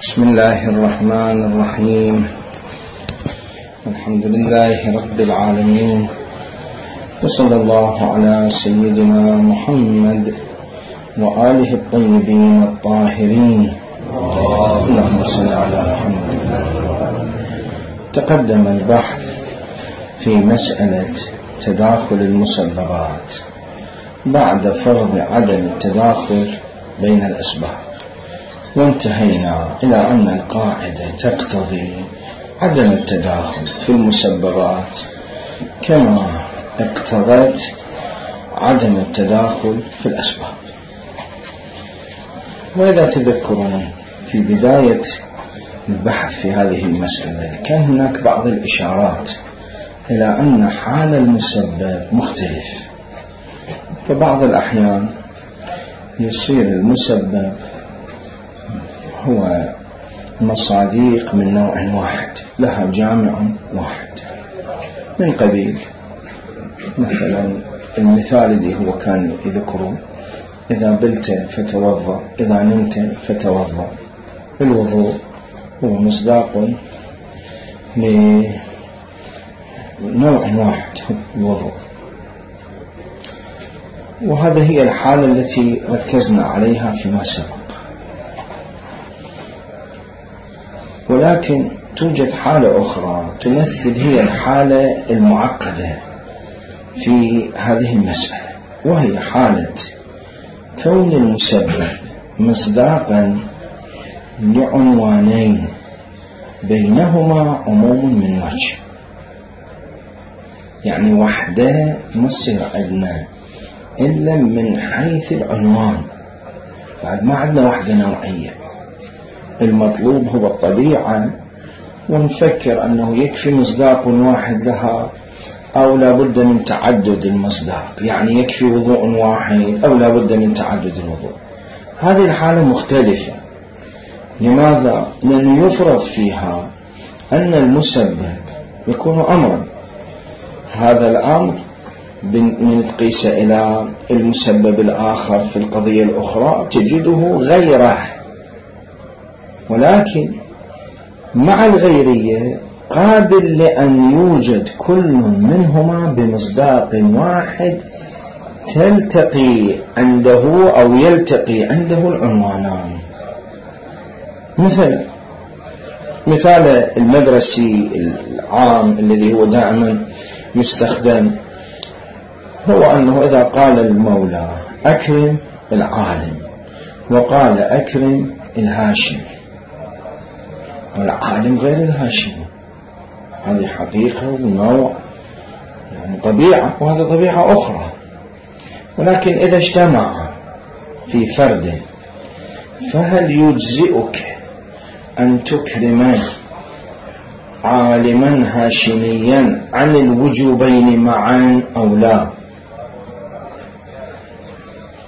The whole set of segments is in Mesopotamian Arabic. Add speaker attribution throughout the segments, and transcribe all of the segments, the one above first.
Speaker 1: بسم الله الرحمن الرحيم. الحمد لله رب العالمين، وصلى الله على سيدنا محمد وآله الطيبين الطاهرين. اللهم صل على محمد. تقدم البحث في مسألة تداخل المسببات بعد فرض عدم التداخل بين الأسباب، وانتهينا إلى أن القاعدة تقتضي عدم التداخل في المسببات كما اقتضت عدم التداخل في الأسباب. وإذا تذكرون في بداية البحث في هذه المسألة كان هناك بعض الإشارات إلى أن حال المسبب مختلف، فبعض الأحيان يصير المسبب هو مصاديق من نوع واحد لها جامع واحد، من قبيل مثلا المثال الذي هو كان يذكره: إذا بلت فتوضأ، إذا نمت فتوضأ. الوضوء هو مصداق لنوع واحد، الوضوء. وهذه هي الحالة التي ركزنا عليها فيما سبق. ولكن توجد حالة أخرى تمثل هي الحالة المعقدة في هذه المسألة، وهي حالة كون المسبب مصداقا لعنوانين بينهما عموم من وجه. يعني وحدة ما تصير عندنا إلا من حيث العنوان، بعد ما عندنا وحدة نوعية. المطلوب هو الطبيعة، ونفكر أنه يكفي مصداق واحد لها أو لا بد من تعدد المصداق، يعني يكفي وضوء واحد أو لا بد من تعدد الوضوء. هذه الحالة مختلفة. لماذا؟ لأن يفرض فيها أن المسبب يكون أمرا، هذا الأمر من تقيس إلى المسبب الآخر في القضية الأخرى تجده غيره، ولكن مع الغيرية قابل لأن يوجد كل منهما بمصداق واحد تلتقي عنده أو يلتقي عنده العنوانان. مثال المدرسي العام الذي هو دائما يستخدم هو أنه إذا قال المولى أكرم العالم وقال أكرم الهاشمي، والعالم غير الهاشمي، هذه حقيقة ونوع، يعني طبيعة، وهذا طبيعة أخرى. ولكن إذا اجتمع في فرد، فهل يجزئك أن تكرم عالما هاشميا عن الوجوبين معا أو لا؟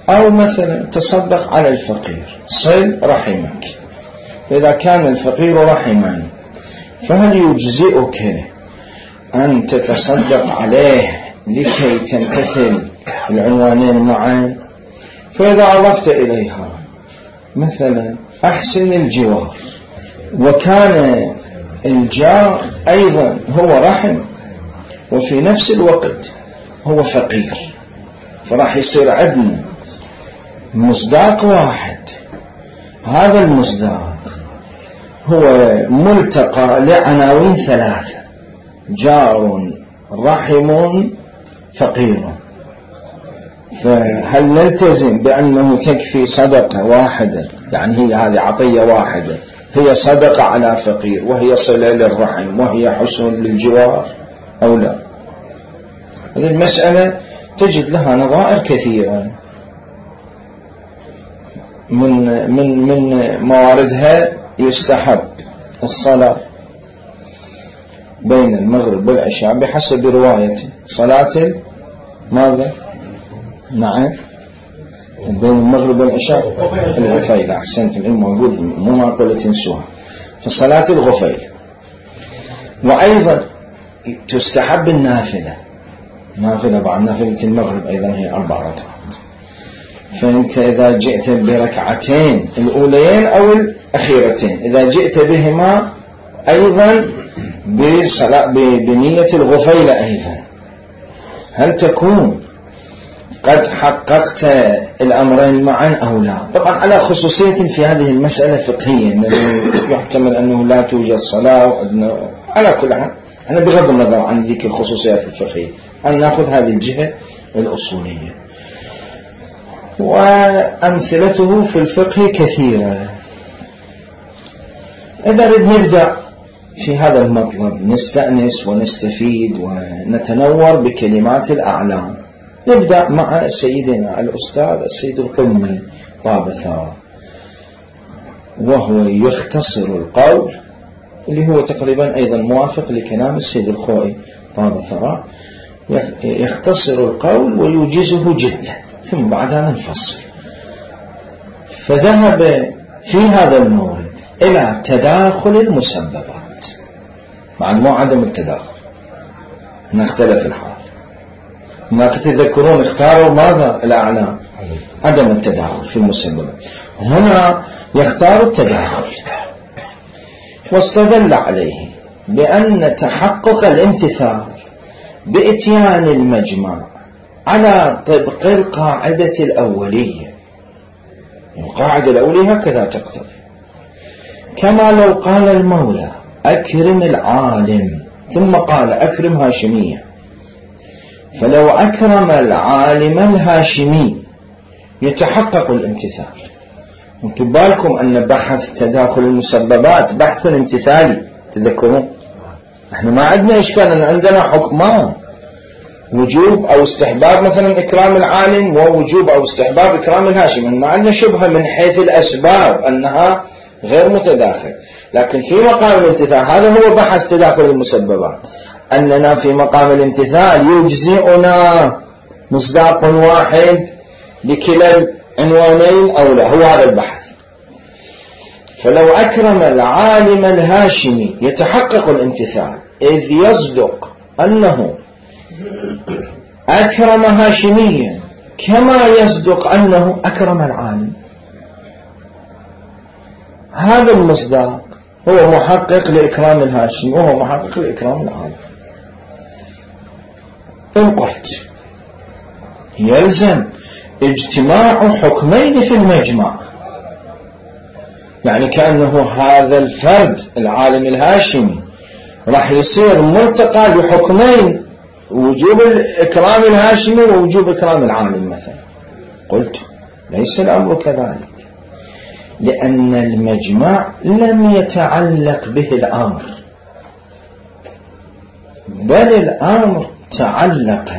Speaker 1: أو مثلا تصدق على الفقير، صل رحمك، فإذا كان الفقير رحما فهل يجزئك أن تتصدق عليه لكي تمتثل العنوانين معا؟ فإذا أضفت إليها مثلا أحسن الجوار، وكان الجار أيضا هو رحم وفي نفس الوقت هو فقير، فراح يصير عندنا مصداق واحد. هذا المصداق هو ملتقى لعناوين ثلاثة: جار، رحم، فقير. فهل نلتزم بأنه تكفي صدقة واحدة، يعني هي هذه عطية واحدة، هي صدقة على فقير وهي صلة للرحم وهي حسن للجوار، أو لا؟ هذه المسألة تجد لها نظائر كثيرة. من مواردها يستحب الصلاة بين المغرب والعشاء بحسب رواية صلاة ماذا؟ نعم، بين المغرب والعشاء الغفيل. أحسنت، العلم موجود، مو معقولة تنسوها، فصلاة الغفيل. وأيضا تستحب النافلة بعد نافلة المغرب أيضا هي 4 ركعات. فأنت إذا جئت بركعتين الأوليين أو أخيرتين إذا جئت بهما أيضا بنية الغفيلة أيضا، هل تكون قد حققت الأمرين معا أو لا؟ طبعا على خصوصية في هذه المسألة فقهية، أنه يحتمل أنه لا توجد صلاة على كل حال. أنا بغض النظر عن ذيك الخصوصيات الفقهية، أن نأخذ هذه الجهة الأصولية، وأمثلته في الفقه كثيرة. إذا نبدأ في هذا المطلب نستأنس ونستفيد ونتنور بكلمات الأعلام. نبدأ مع سيدنا الأستاذ السيد القمي طاب ثرى، وهو يختصر القول، اللي هو تقريبا أيضا موافق لكلام السيد الخوئي طاب ثرى، يختصر القول ويوجزه جدا، ثم بعد هذا نفصل. فذهب في هذا المورد إلى تداخل المسببات، مع مو عدم التداخل، نختلف الحال. ما تتذكرون اختاروا ماذا الأعلام؟ عدم التداخل في المسببات. هنا يختار التداخل، واستدل عليه بأن تحقق الامتثال بإتيان المجمع على طبق القاعدة الأولية. القاعدة الأولية هكذا تقتضي، كما لو قال المولى أكرم العالم ثم قال أكرم هاشمية، فلو أكرم العالم الهاشمي يتحقق الامتثال. انتم بالكم أن بحث تداخل المسببات بحث امتثالي، تذكرون احنا ما عندنا إشكال، أن عندنا حكمان، وجوب أو استحباب مثلا إكرام العالم، ووجوب أو استحباب إكرام الهاشم، ما عندنا شبهة من حيث الأسباب أنها غير متداخل. لكن في مقام الامتثال هذا هو بحث تداخل المسببات، أننا في مقام الامتثال يجزئنا مصداق واحد لكلا العنوانين أو لا، هو هذا البحث. فلو أكرم العالم الهاشمي يتحقق الامتثال، إذ يصدق أنه أكرم هاشميا كما يصدق أنه أكرم العالم. هذا المصداق هو محقق لإكرام الهاشمي وهو محقق لإكرام العالم. إن قلت يلزم اجتماع حكمين في المجمع، يعني كأنه هذا الفرد العالم الهاشمي راح يصير ملتقى لحكمين، وجوب إكرام الهاشمي ووجوب إكرام العالم مثلا. قلت ليس الأمر كذلك، لأن المجمع لم يتعلق به الأمر، بل الأمر تعلق.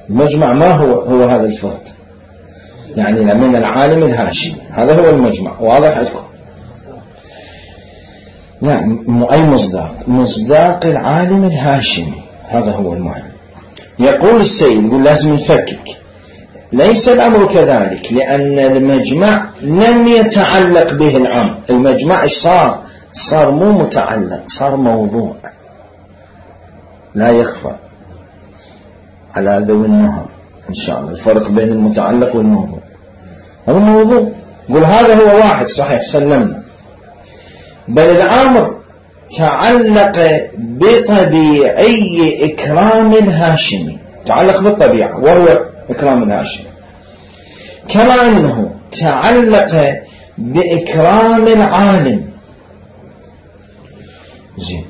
Speaker 1: المجمع ما هو هذا الفرد، يعني من العالم الهاشمي، هذا هو المجمع. واضح عندكم؟ نعم. أي مصداق العالم الهاشمي، هذا هو المهم. يقول السيد، يقول لازم نفكك، ليس الأمر كذلك، لأن المجمع لم يتعلق به الأمر. المجمع إيش صار مو متعلق، صار موضوع لا يخفى على ذوي النهر إن شاء الله الفرق بين المتعلق والموضوع. هذا الموضوع يقول هذا هو واحد صحيح سلمنا، بل الأمر تعلق بطبيعي إكرام الهاشمي، تعلق بالطبيعة وهو إكرام الهاشمي، كما أنه تعلق بإكرام العالم. زين،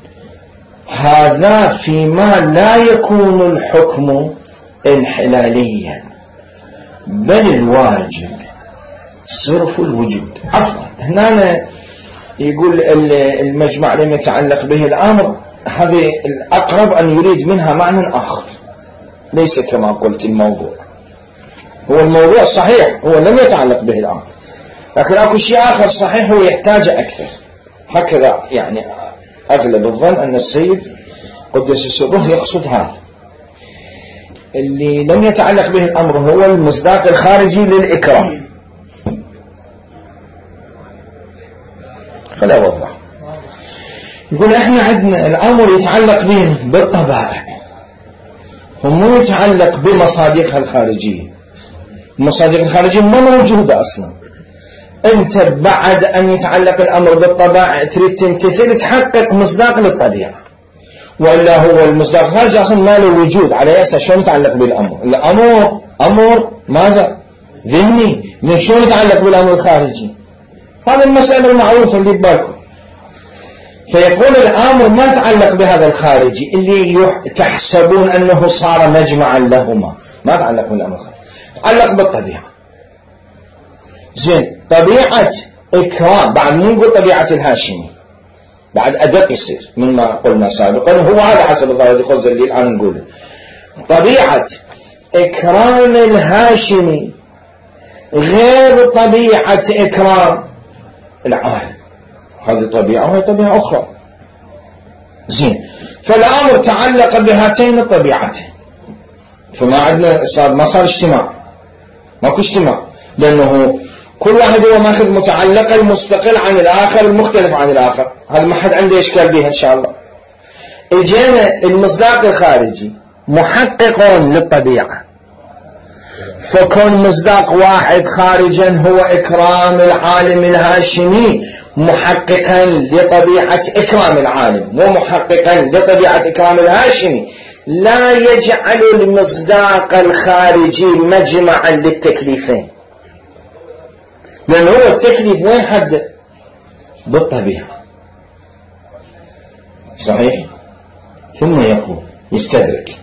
Speaker 1: هذا فيما لا يكون الحكم انحلاليا، بل الواجب صرف الوجود. عفوا، هنا يقول المجمع لم يتعلق به الأمر، هذه الأقرب أن يريد منها معنى آخر، ليس كما قلت الموضوع. هو الموضوع صحيح هو لم يتعلق به الأمر، لكن أكو شيء آخر صحيح هو يحتاج أكثر. هكذا يعني أغلب الظن أن السيد قدس سره يقصد هذا. اللي لم يتعلق به الأمر هو المصداق الخارجي للإكرام. خليني أوضح. يقول إحنا عندنا الأمر يتعلق به بالطبائع، ومو يتعلق بمصادقها الخارجية. المصادق الخارجية ما موجودة أصلا. أنت بعد أن يتعلق الأمر بالطبائع تريد تمتثل تحقق مصداق للطبيعة، وإلا هو المصداق الخارجي أصلا ما له وجود. على أساس شلون يتعلق بالأمر؟ الأمر أمر ماذا؟ ذهني، من شلون يتعلق بالأمر الخارجي؟ هذا المسألة المعروفة اللي ببالكم. فيقول الأمر ما يتعلق بهذا الخارجي اللي تحسبون أنه صار مجمعا لهما، ما يتعلق بالأمر الخارجي، يتعلق بالطبيعة. زين، طبيعة إكرام بعد مو نقول طبيعة الهاشمي، بعد أدق يصير مما قلنا سابقا، هو هذا حسب الظاهر الخوز اللي الآن نقوله. طبيعة إكرام الهاشمي غير طبيعة إكرام العالم، هذه طبيعة وهي طبيعة أخرى. زين، فالأمر تعلق بهاتين الطبيعتين، فما عندنا ما صار اجتماع، ماكو اجتماع، لأنه كل واحد هو ماخذ متعلق المستقل عن الآخر المختلف عن الآخر. هذا ما حد عنده إشكال بها إن شاء الله. إجينا المصداق الخارجي محقق للطبيعة، فكون مصداق واحد خارجا هو إكرام العالم الهاشمي محققا لطبيعة إكرام العالم ومحققا لطبيعة إكرام الهاشمي لا يجعل المصداق الخارجي مجمعا للتكليفين، لأنه هو التكليف وين حد؟ بالطبيعة. صحيح؟ ثم يقول يستدرك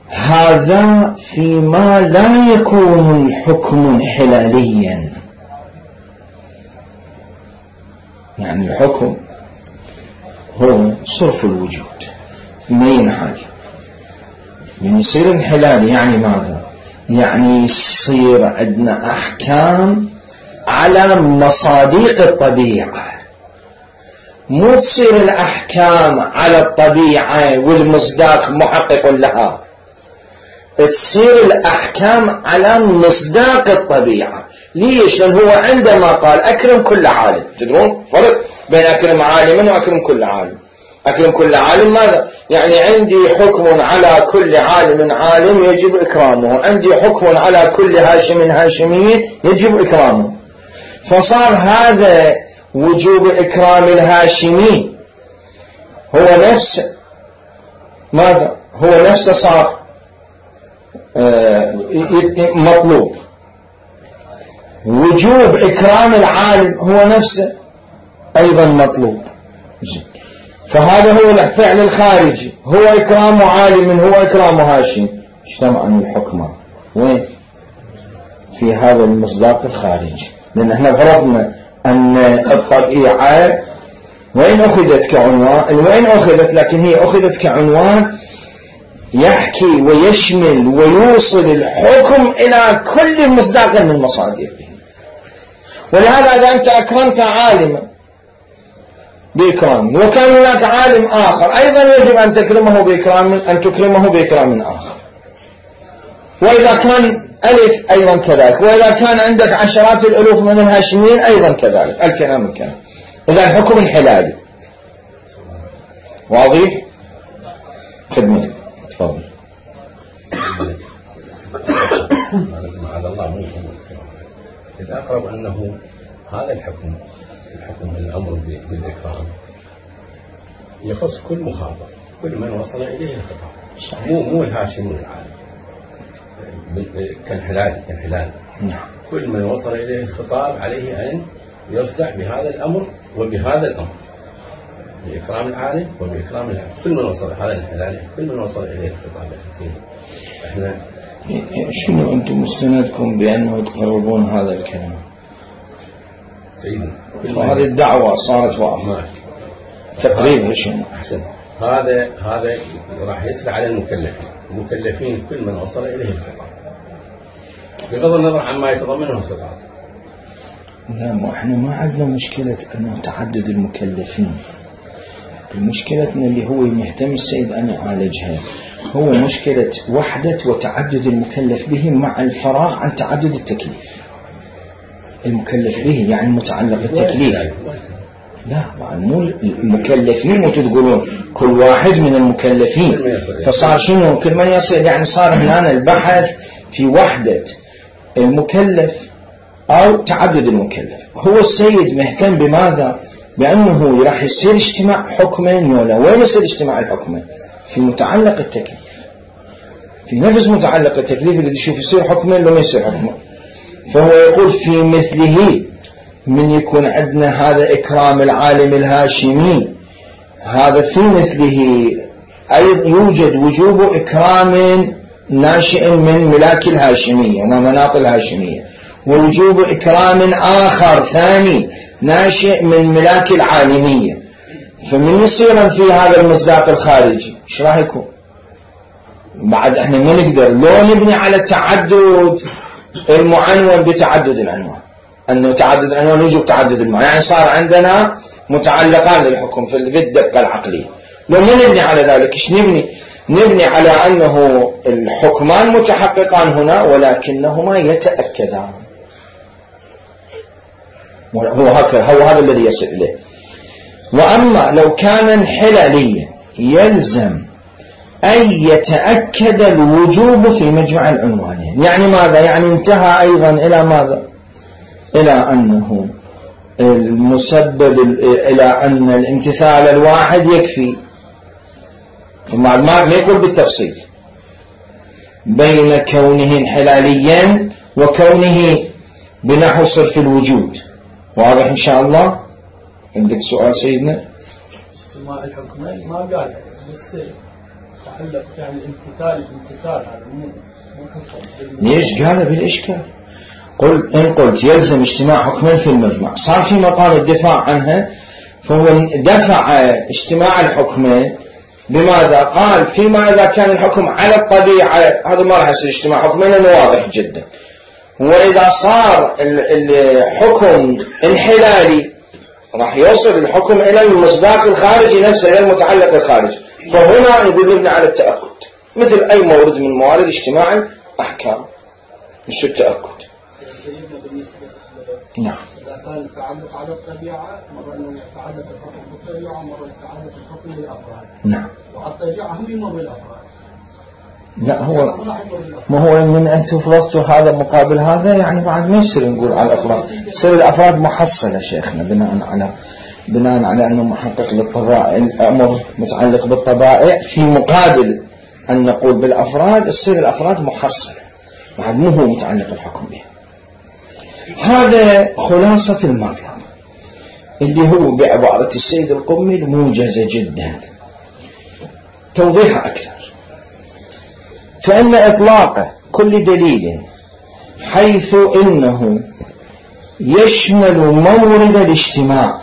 Speaker 1: هذا فيما لا يكون الحكم حلاليا، يعني الحكم هو صرف الوجود ما ينحل، من يصير انحلال يعني ماذا؟ يعني يصير عندنا أحكام على مصادق الطبيعة، مو تصير الأحكام على الطبيعة والمصداق محقق لها، تصير الأحكام على مصداق الطبيعة. ليش؟ لأن هو عندما قال أكرم كل عالم، تدرون فرق بين أكرم عالما وأكرم كل عالم. أكرم كل عالم ماذا؟ يعني عندي حكم على كل عالم عالم يجب إكرامه، عندي حكم على كل هاشم هاشمي يجب إكرامه، فصار هذا وجوب إكرام الهاشمي هو نفسه ماذا؟ هو نفسه صار مطلوب. وجوب إكرام العالم هو نفسه أيضا مطلوب. فهذا هو الفعل الخارجي، هو إكرام عالم هو إكرام هاشم، اجتمعوا الحكمة وين؟ في هذا المصداق الخارجي. لأن احنا فرضنا أن الطبيعة وين أخذت كعنوان، وين أخذت، لكن هي أخذت كعنوان يحكي ويشمل ويوصل الحكم إلى كل مصداق من مصادره. ولهذا إذا أنت أكرمت عالما بإكرام وكان هناك عالم آخر أيضا يجب أن تكرمه بإكرام آخر، وإذا كان ألف أيضا كذلك، وإذا كان عندك عشرات الألوف من الهاشميين أيضا كذلك. الكلام إذا الحكم الحلالي واضح؟ خدمة تفضل.
Speaker 2: معاذ الله مو الأقرب أنه هذا الحكم الأمر بالإكرام يخص كل مخاطب، كل من وصل إليه الخطاب، مو الهاشم والعالم كالحلال. كل من وصل إليه الخطاب عليه أن يصدع بهذا الأمر وبهذا الأمر، بإكرام العالم وبإكرام العالم. كل من وصل هذا الحلال، كل من وصل إليه الخطاب. احنا
Speaker 1: شنو أنتم مستندكم بأنه تقربون هذا الكلام؟
Speaker 2: سيدنا
Speaker 1: وهذه الدعوة صارت واضحة تقريبا. شنو
Speaker 2: أحسن؟ هذا راح يسرع على المكلفين كل من وصل إليه الخطاب بغض النظر عما يتضمنه الخطاب.
Speaker 1: لا، احنا ما عندنا مشكلة أنه تعدد المكلفين، المشكلتنا اللي هو مهتم السيد أن يعالجها هو مشكلة وحدة وتعدد المكلف به مع الفراغ عن تعدد التكليف. المكلف به يعني متعلق بالتكليف، لا مو المكلفين وتقولون كل واحد من المكلفين، فصار شنو كل من يصل، يعني صار هنا البحث في وحدة المكلف أو تعدد المكلف. هو السيد مهتم بماذا؟ بأنه راح يصير اجتماع حكمين ولا وين يصير اجتماع الحكمين؟ في متعلق التكليف، في نفس متعلق التكليف اللي يشوف يصير حكمين لو ما يصير حكمين. فهو يقول في مثله من يكون عندنا هذا إكرام العالم الهاشمي، هذا في مثله أيضا يوجد وجوب إكرام ناشئ من ملاك الهاشمية ومناط الهاشمية، ووجوب إكرام آخر ثاني ناشئ من ملاك العالمية. فمن يصير في هذا المصداق الخارجي ايش راح يكون؟ بعد احنا ما نقدر لو نبني على تعدد المعنون بتعدد العنوان، انه تعدد العنوان يوجب تعدد المعنون، يعني صار عندنا متعلقان للحكم في الدقة العقلية. لو ما نبني على ذلك ايش نبني على انه الحكمان متحققان هنا ولكنهما يتأكدان. هو هذا الذي يصل إليه. وأما لو كان انحلاليا يلزم أن يتأكد الوجوب في مجمع العنوانين. يعني ماذا؟ يعني انتهى أيضا إلى ماذا؟ إلى أنه المسبب إلى أن الامتثال الواحد يكفي، ما يقول بالتفصيل بين كونه انحلاليا وكونه بنحو صرف الوجود. واضح إن شاء الله؟ عندك سؤال سيدنا؟
Speaker 3: استماع الحكمين ما قال بس تعلق يعني الامتثال هذا مو حكم.
Speaker 1: ليش قال بالإشكال؟ إن قلت يلزم اجتماع حكمين في المجمع، صار في مقام الدفاع عنها، فهو دفع اجتماع الحكمين بماذا؟ قال فيما إذا كان الحكم على الطبيعة هذا ما راح يصير اجتماع حكمين لأنه واضح جدا. وإذا صار الحكم انحلالي راح يوصل الحكم إلى المصداق الخارجي نفسه، إلى المتعلق الخارجي. فهنا يقول لنا على التأكد مثل أي مورد من موارد اجتماع الأحكام، مش التأكد. نعم.
Speaker 3: إذا كان التعلق على الطبيعة مرة إنه يتعلق الحكم بالطبيعة، مرة يتعلق الحكم بالأفراد.
Speaker 1: نعم.
Speaker 3: وعلى الطبيعة هم يمر بالأفراد.
Speaker 1: لا هو ما هو من أن تفرضتوا هذا مقابل هذا، يعني بعد ما يصير نقول على الأفراد، يصير الأفراد محصلة شيخنا بناء على أنه محقق للطبائع، الأمر متعلق بالطبائع في مقابل أن نقول بالأفراد، يصير الأفراد محصلة بعد مو هو متعلق الحكم بها. هذا خلاصة المطلب اللي هو بعبارة السيد القمي الموجزة جدا. توضيح أكثر، فإن إطلاق كل دليل حيث إنه يشمل مورد الاجتماع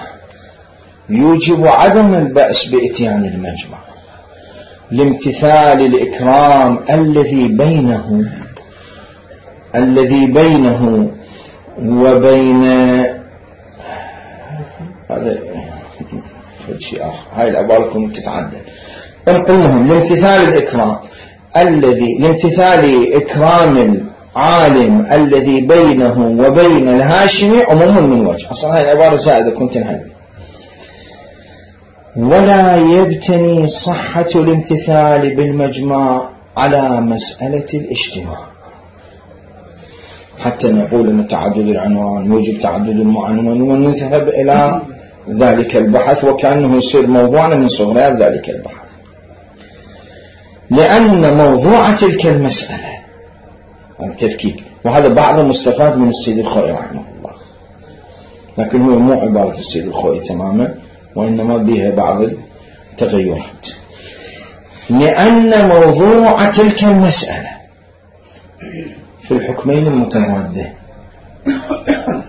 Speaker 1: يوجب عدم البأس بإتيان المجمع لامتثال الإكرام الذي بينه وبين هذا شيء آخر. هاي العبارة كنت تتعدل. المهم لامتثال إكرام العالم الذي بينه وبين الهاشمي عموما من وجه. أصلا هاي العبارة زائدة كنت نهدي. ولا يبتني صحة الامتثال بالمجمع على مسألة الاجتماع حتى نقول أن تعدد العنوان موجب تعدد المعنون، ونذهب إلى ذلك البحث وكأنه يصير موضوعنا من صغريات ذلك البحث، لأن موضوع تلك المسألة التفكيك، وهذا بعض المستفاد من السيد الخوئي رحمه الله، لكن هو مو عبارة السيد الخوئي تماما، وإنما بها بعض التغيرات. لأن موضوع تلك المسألة في الحكمين المتضادين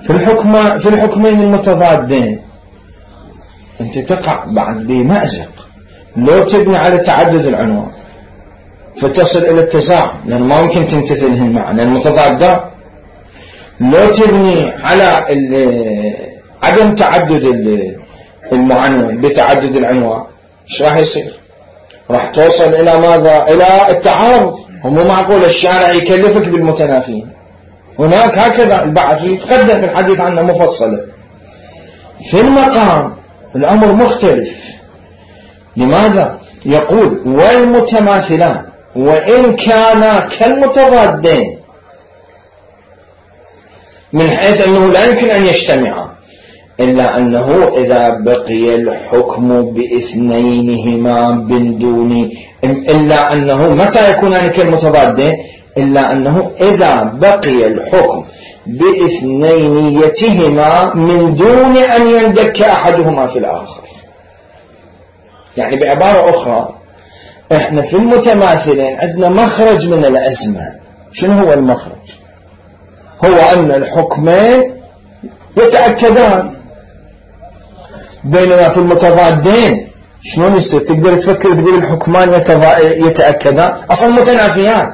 Speaker 1: في الحكمين المتضادين أنت تقع بعد بمأزق. لو تبني على تعدد العنوان فتصل إلى التزاحم، لأن ما ممكن تمتثلهن معا لأن متضادة. لو تبني على عدم تعدد المعنون بتعدد العنوان ايش راح يصير؟ راح توصل إلى ماذا؟ إلى التعارض. هم معقول الشارع يكلفك بالمتنافين. هناك هكذا البحث يتقدم في الحديث عنه مفصلا. في المقام الأمر مختلف. لماذا؟ يقول والمتماثلان وإن كانا كالمتضادين من حيث أنه لا يمكن أن يجتمعا، إلا أنه إذا بقي الحكم باثنينهما من دون، إلا أنه متى يكونان كالمتضادين؟ إلا أنه إذا بقي الحكم باثنينيتهما من دون أن يندك أحدهما في الآخر. يعني بعبارة أخرى، إحنا في المتماثلين عندنا مخرج من الأزمة. شنو هو المخرج؟ هو أن الحكمين يتأكدان، بينما في المتضادين شلون يصير؟ تقدر تفكر تقول الحكمان يتأكدان، أصلا متنافيان.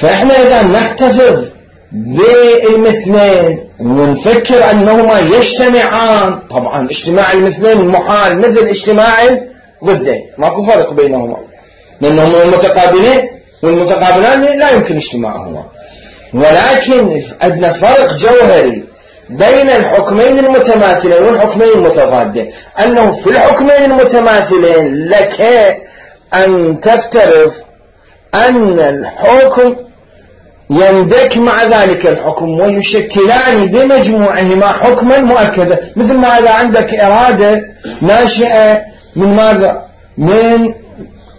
Speaker 1: فإحنا إذا نحتفظ بالمثلين ونفكر أنهما يجتمعان، طبعا اجتماع المثلين محال مثل اجتماع الضدين، ماكو فرق بينهما، لأنهما متقابلين والمتقابلان لا يمكن اجتماعهما. ولكن عندنا فرق جوهري بين الحكمين المتماثلين والحكمين المتضادين، أنه في الحكمين المتماثلين لك أن تفترض أن الحكم يندك مع ذلك الحكم ويشكلان بمجموعهما حكما مؤكدا. مثل ما إذا عندك إرادة ناشئة من ماذا؟ من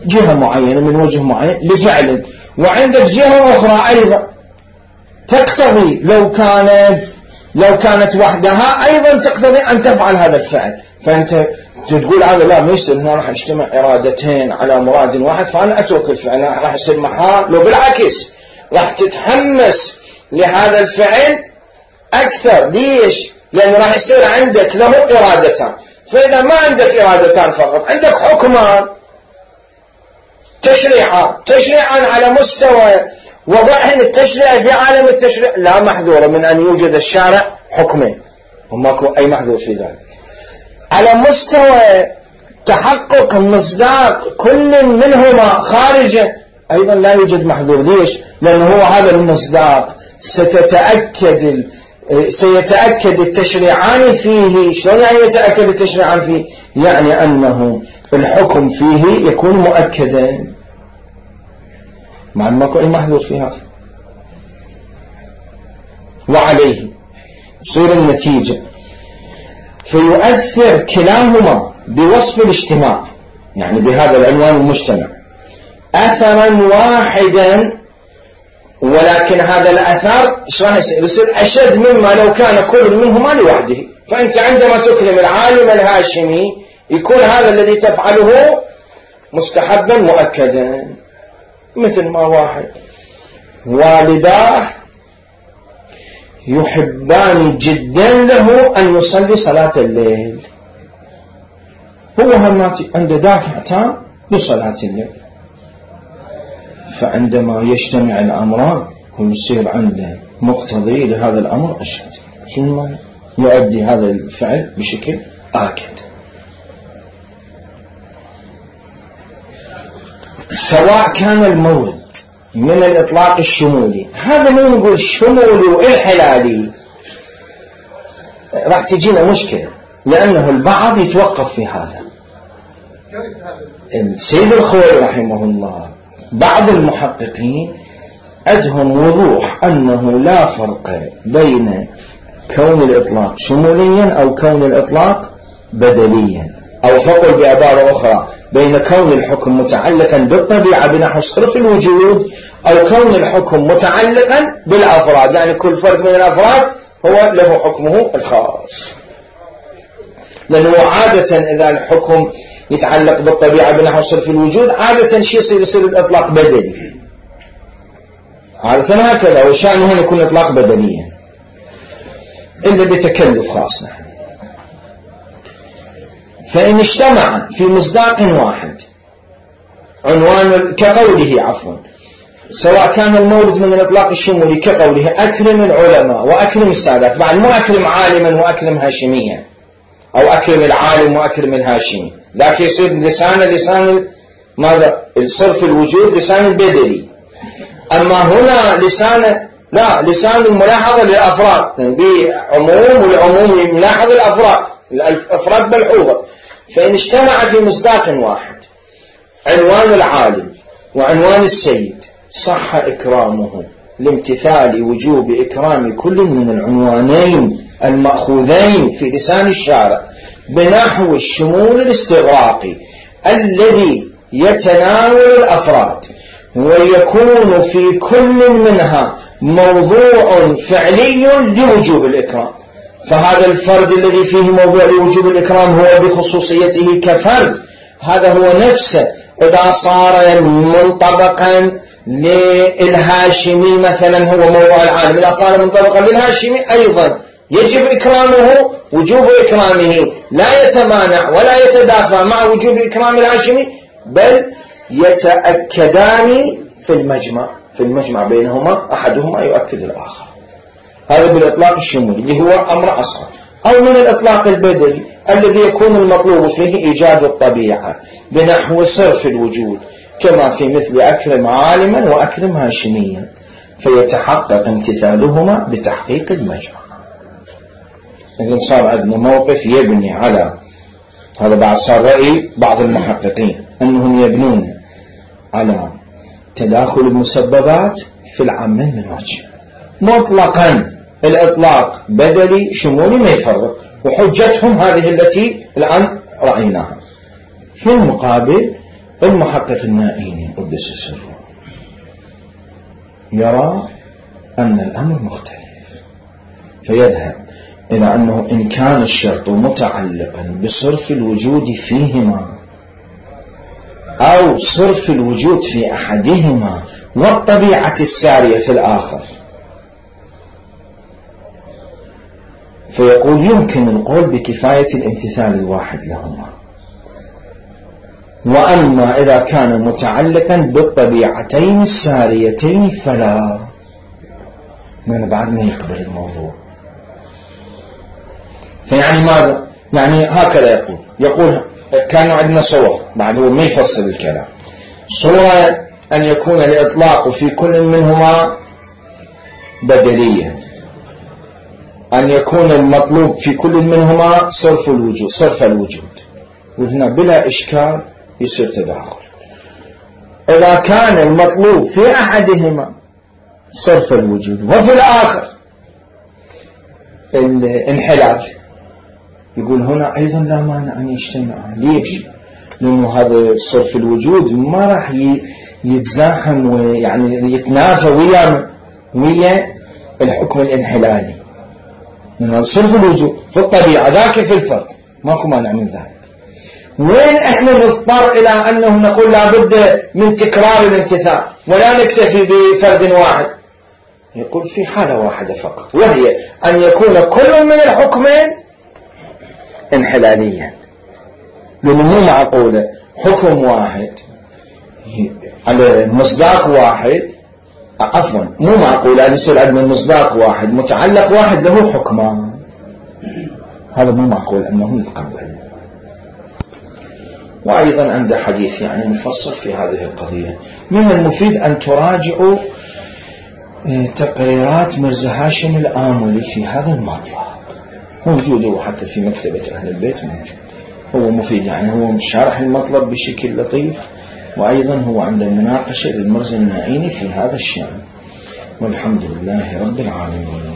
Speaker 1: جهة معينة، من وجه معين لفعل، وعندك جهة أخرى أيضا تقتضي لو كانت وحدها أيضا تقتضي أن تفعل هذا الفعل. فأنت تقول هذا لا ما يصير، هنا راح يجتمع إرادتين على مراد واحد، فأنا أترك الفعل، راح يصير محال. لو بالعكس راح تتحمس لهذا الفعل أكثر. ليش؟ لأنه راح يصير عندك له إرادتان. فإذا ما عندك إرادتان فقط، عندك حكمان تشريعان على مستوى وضعهن التشريع في عالم التشريع لا محذور من أن يوجد الشارع حكمين، وماكو أي محذور في ذلك. على مستوى تحقق مصداق كل منهما خارجا أيضا لا يوجد محذور. ليش؟ لأنه هو هذا المصداق سيتأكد التشريعان فيه. شلون يعني يتأكد التشريعان فيه؟ يعني أنه الحكم فيه يكون مؤكدا، مع ماكو أي محذور في هذا. وعليه تصير النتيجة فيؤثر كلاهما بوصف الاجتماع، يعني بهذا العنوان المجتمع، أثرا واحدا، ولكن هذا الأثر يصير أشد مما لو كان كل منهما لوحده. فأنت عندما تكرم العالم الهاشمي يكون هذا الذي تفعله مستحبا مؤكدا. مثل ما واحد والداه يحبان جدا له أن يصلي صلاة الليل، هو هماتي عنده دافع تام لصلاة الليل، فعندما يجتمع الأمران كل يصير عنده مقتضي لهذا الأمر أشد، شنو يؤدي هذا الفعل بشكل آكد. سواء كان المورد من الإطلاق الشمولي، هذا ما نقول شمولي والحلالي، راح تجينا مشكلة، لأنه البعض يتوقف في هذا. السيد الخوئي رحمه الله بعض المحققين عندهم وضوح أنه لا فرق بين كون الإطلاق شموليا أو كون الإطلاق بدليا، أو فقل بعبارة أخرى بين كون الحكم متعلقا بالطبيعة بنحو صرف الوجود، أو كون الحكم متعلقا بالأفراد، يعني كل فرد من الأفراد هو له حكمه الخاص. لأنه عادة إذا الحكم يتعلق بالطبيعة بنحو صرف الوجود عادة شيء يصير الإطلاق بدلي، عادة هكذا، وشأنه هنا يكون إطلاق بدليا إلا بتكلف خاص. فإن اجتمع في مصداق واحد عنوان كقوله سواء كان المورد من الإطلاق الشمولي كقوله أكرم العلماء وأكرم السادات، بعد مو أكرم عالما وأكرم هاشميا، أو أكرم العالم وأكرم الهاشمي، لكن يصير لسان ماذا؟ الصرف الوجود لسان البدلي. أما هنا لسان الملاحظة للأفراد، بعموم، والعموم ملاحظ الأفراد ملحوظة. فإن اجتمع في مصداق واحد عنوان العالم وعنوان السيد صح إكرامه لامتثال وجوب إكرام كل من العنوانين المأخوذين في لسان الشارع بنحو الشمول الاستغراقي الذي يتناول الأفراد، ويكون في كل منها موضوع فعلي لوجوب الإكرام. فهذا الفرد الذي فيه موضوع لوجوب الإكرام هو بخصوصيته كفرد، هذا هو نفسه إذا صار منطبقا للهاشمي مثلا هو موضوع العالم، إذا صار منطبقا للهاشمي أيضا يجب إكرامه وجوب إكرامه، لا يتمانع ولا يتدافع مع وجوب إكرام الهاشمي، بل يتأكدان في المجمع بينهما، أحدهما يؤكد الآخر. هذا بالإطلاق الشمولي اللي هو أمر أصغر. أو من الإطلاق البدلي الذي يكون المطلوب فيه إيجاد الطبيعة بنحو صرف الوجود، كما في مثل أكرم عالما وأكرم هاشميا، فيتحقق امتثالهما بتحقيق المجمع. إذن صار عندنا موقف يبني على هذا، بعد صار رأي بعض المحققين أنهم يبنون على تداخل المسببات في العامين من وجه مطلقا، الإطلاق بدلي شمولي ما يفرق، وحجتهم هذه التي الآن رأيناها. في المقابل المحقق النائيني قدس سره يرى أن الأمر مختلف، فيذهب إلى أنه إن كان الشرط متعلقا بصرف الوجود فيهما أو صرف الوجود في أحدهما والطبيعة السارية في الآخر، فيقول يمكن القول بكفاية الامتثال الواحد لهما. وأما إذا كان متعلقا بالطبيعتين الساريتين فلا، من بعد ما يقبل الموضوع. فيعني ماذا؟ يعني هكذا يقول كان عندنا صور، بعد هو ما يفصل الكلام. صورة أن يكون الإطلاق في كل منهما بدليا، أن يكون المطلوب في كل منهما صرف الوجود، وهنا بلا إشكال يصير تداخل. إذا كان المطلوب في أحدهما صرف الوجود وفي الآخر الانحلال، يقول هنا أيضا لا مانع أن يجتمع. ليش؟ لأنه هذا صرف الوجود ما راح يتزاحم ويعني يتنافى ويا الحكم الانحلالي، من صرف الوجود في الطبيعة ذاك في الفرد ماكو مانع من ذلك. وين احنا نضطر إلى أنه نقول لابد من تكرار الامتثال ولا نكتفي بفرد واحد؟ يقول في حالة واحدة فقط، وهي أن يكون كل من الحكمين انحلاليا، لأنه مو معقولة حكم واحد على مصداق واحد، عفوا مو معقولة أن يصير عندنا مصداق واحد متعلق واحد له حكمان، هذا مو معقول أنه يتقبل. وأيضا عنده حديث يعني مفصل في هذه القضية. من المفيد أن تراجعوا تقريرات مرزا هاشم الآملي في هذا المطلب، موجود حتى في مكتبة أهل البيت موجود، هو مفيد يعني، هو شارح المطلب بشكل لطيف، وأيضا هو عند المناقشة للمرزا النائيني في هذا الشأن. والحمد لله رب العالمين.